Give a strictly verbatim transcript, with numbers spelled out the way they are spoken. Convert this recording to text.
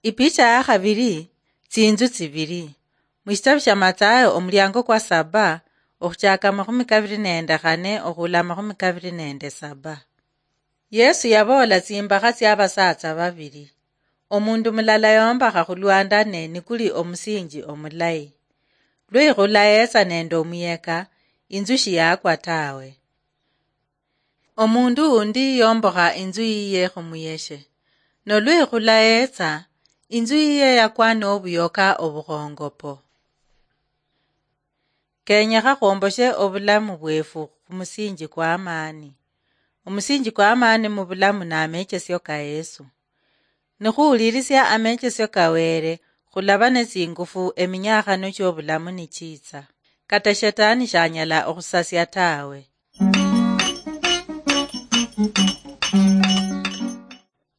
Ipicha ya khabiri, tsinzu tsibiri. Mushitabu shia Mathayo, omuliango kwa saba, okhuchaka amakhumi kabiri nende khane okhula amakhumi kabiri nende saba. Yesu yaboola tsimbakha tsia basatsa babiri. Omundu mulala yombakha khulwandane nikuli omusinji omulayi. Lwikhula yetsa nende omuyeka, inzu shiyakwa tawe. Omundu undi yombokha inzu yiye khumuyeshe. Nolwikhula yetsa, inzu yiye yakwa nobuyoka obukhongopo. Kenyekha khwomboshe obulamu bwefu khumusinji kwa amani. Omusinji kwa amani mubulamu namechesio ka Yesu. Nikhuwulirisia amechesio ka Wele, khulaba netsingufu eminyakhano chiobulamu nichitsa. Kata shetani shanyala okhusasia tawe.